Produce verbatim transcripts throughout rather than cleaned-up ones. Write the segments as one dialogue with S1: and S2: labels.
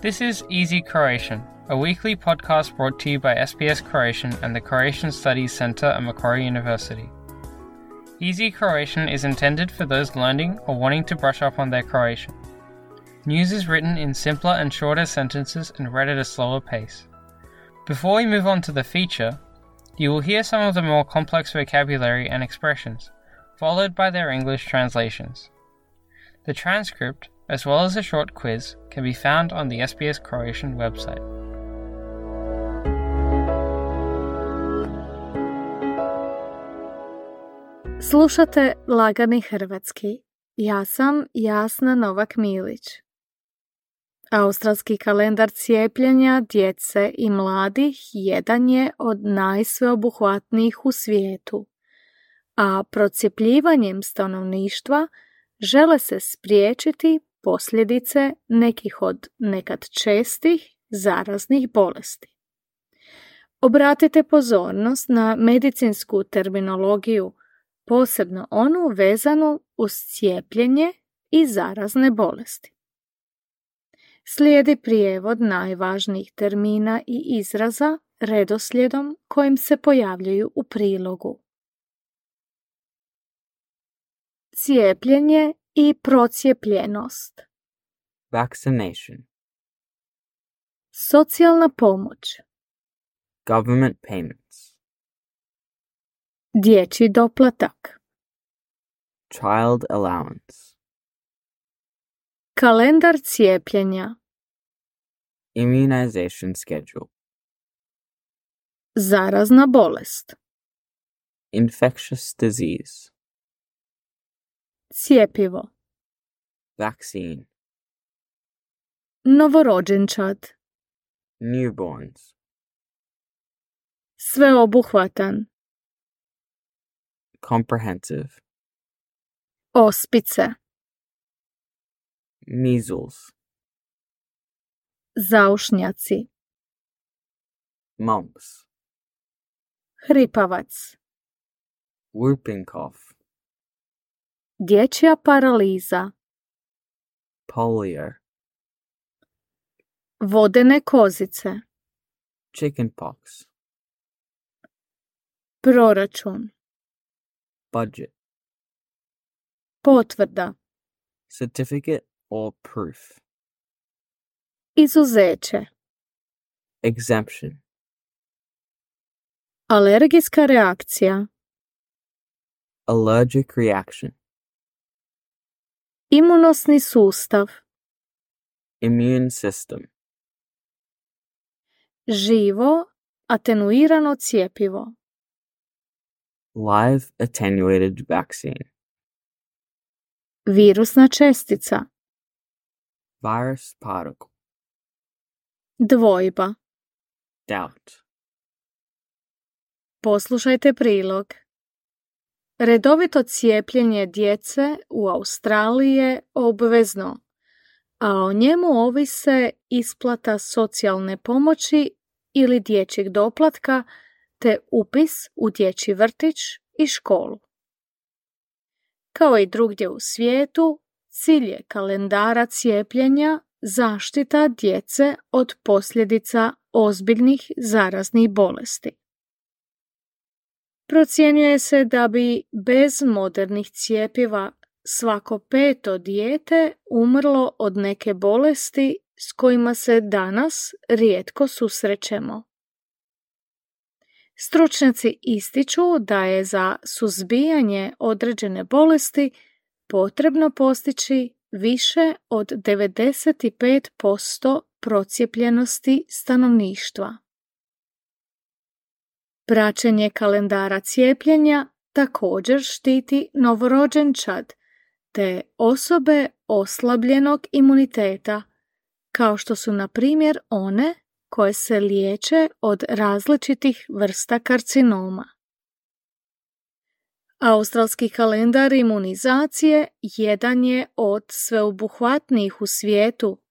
S1: This is Easy Croatian, a weekly podcast brought to you by S B S Croatian and the Croatian Studies Centre at Macquarie University. Easy Croatian is intended for those learning or wanting to brush up on their Croatian. News is written in simpler and shorter sentences and read at a slower pace. Before we move on to the feature, you will hear some of the more complex vocabulary and expressions, followed by their English translations. The transcript, as well as a short quiz, can be found on the S B S Croatian website.
S2: Slušate Lagani hrvatski. Ja sam Jasna Novak-Milić. Australski kalendar cijepljenja djece i mladih jedan je od najsveobuhvatnijih u svijetu, a procijepljivanjem stanovništva žele se spriječiti posljedice nekih od nekad čestih zaraznih bolesti. Obratite pozornost na medicinsku terminologiju, posebno onu vezanu uz cijepljenje i zarazne bolesti. Slijedi prijevod najvažnijih termina i izraza redoslijedom kojim se pojavljuju u prilogu. Cijepljenje i procijepljenost.
S3: Vaccination.
S2: Socijalna pomoć.
S3: Government payments.
S2: Dječji doplatak.
S3: Child allowance.
S2: Kalendar cijepljenja.
S3: Immunization schedule.
S2: Zarazna bolest.
S3: Infectious disease.
S2: Cjepivo.
S3: Vaccine.
S2: Novorođenčad.
S3: Newborns.
S2: Sveobuhvatan.
S3: Comprehensive.
S2: Ospice.
S3: Measles.
S2: Zaušnjaci.
S3: Mumps.
S2: Hripavac.
S3: Whooping cough.
S2: Dječja paraliza.
S3: Polio.
S2: Vodene kozice.
S3: Chickenpox.
S2: Proračun.
S3: Budget.
S2: Potvrda.
S3: Certificate or proof.
S2: Izuzeće.
S3: Exemption.
S2: Alergijska reakcija.
S3: Allergic reaction.
S2: Imunosni sustav.
S3: Immune system.
S2: Živo, atenuirano cjepivo.
S3: Live attenuated vaccine.
S2: Virusna čestica.
S3: Virus particle.
S2: Dvojba.
S3: Doubt.
S2: Poslušajte prilog. Redovito cijepljenje djece u Australiji je obvezno, a o njemu ovise isplata socijalne pomoći ili dječjeg doplatka te upis u dječji vrtić i školu. Kao i drugdje u svijetu, cilj je kalendara cijepljenja zaštita djece od posljedica ozbiljnih zaraznih bolesti. Procjenjuje se da bi bez modernih cjepiva svako peto dijete umrlo od neke bolesti s kojima se danas rijetko susrećemo. Stručnjaci ističu da je za suzbijanje određene bolesti potrebno postići više od devedeset pet posto procijepljenosti stanovništva. Praćenje kalendara cijepljenja također štiti novorođenčad te osobe oslabljenog imuniteta, kao što su na primjer one koje se liječe od različitih vrsta karcinoma. Australski kalendar imunizacije jedan je od sveobuhvatnijih u svijetu,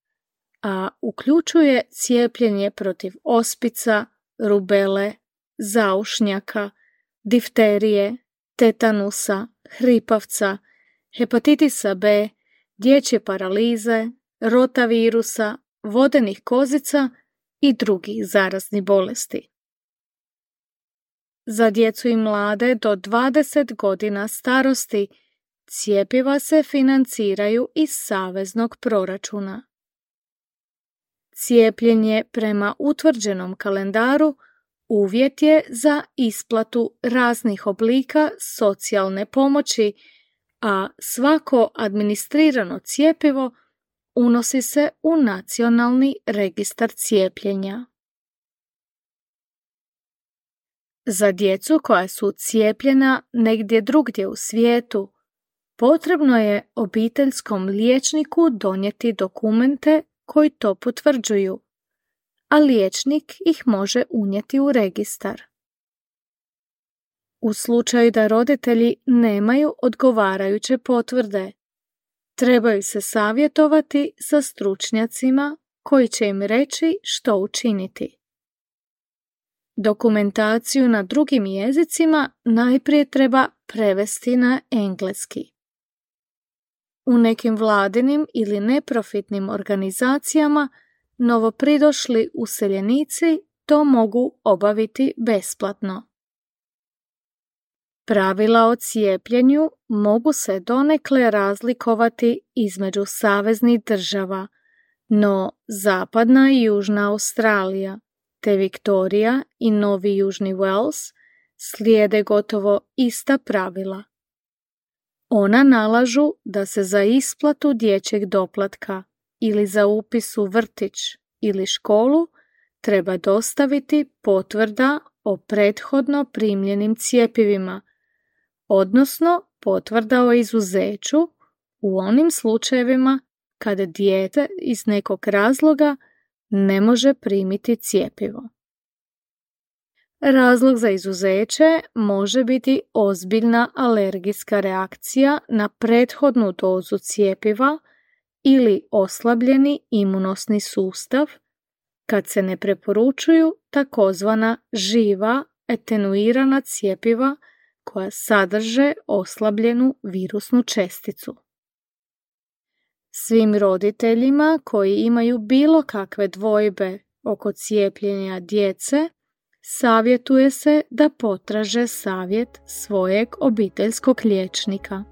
S2: a uključuje cijepljenje protiv ospica, rubele, zaušnjaka, difterije, tetanusa, hripavca, hepatitisa B, dječje paralize, rotavirusa vodenih kozica i drugih zaraznih bolesti. Za djecu i mlade do dvadeset godina starosti cjepiva se financiraju iz saveznog proračuna. Cijepljenje prema utvrđenom kalendaru uvjet je za isplatu raznih oblika socijalne pomoći, a svako administrirano cjepivo unosi se u nacionalni registar cijepljenja. Za djecu koja su cijepljena negdje drugdje u svijetu, potrebno je obiteljskom liječniku donijeti dokumente koji to potvrđuju, a liječnik ih može unijeti u registar. U slučaju da roditelji nemaju odgovarajuće potvrde, trebaju se savjetovati sa stručnjacima koji će im reći što učiniti. Dokumentaciju na drugim jezicima najprije treba prevesti na engleski. U nekim vladinim ili neprofitnim organizacijama novopridošli useljenici to mogu obaviti besplatno. Pravila o cijepljenju mogu se donekle razlikovati između saveznih država, no Zapadna i Južna Australija te Viktorija i Novi Južni Wales slijede gotovo ista pravila. Ona nalažu da se za isplatu dječjeg doplatka ili za upis u vrtić ili školu treba dostaviti potvrda o prethodno primljenim cjepivima, odnosno potvrda o izuzeću u onim slučajevima kada dijete iz nekog razloga ne može primiti cjepivo. Razlog za izuzeće može biti ozbiljna alergijska reakcija na prethodnu dozu cjepiva ili oslabljeni imunosni sustav, kad se ne preporučuju takozvana živa atenuirana cjepiva koja sadrže oslabljenu virusnu česticu. Svim roditeljima koji imaju bilo kakve dvojbe oko cijepljenja djece, savjetuje se da potraže savjet svojeg obiteljskog liječnika.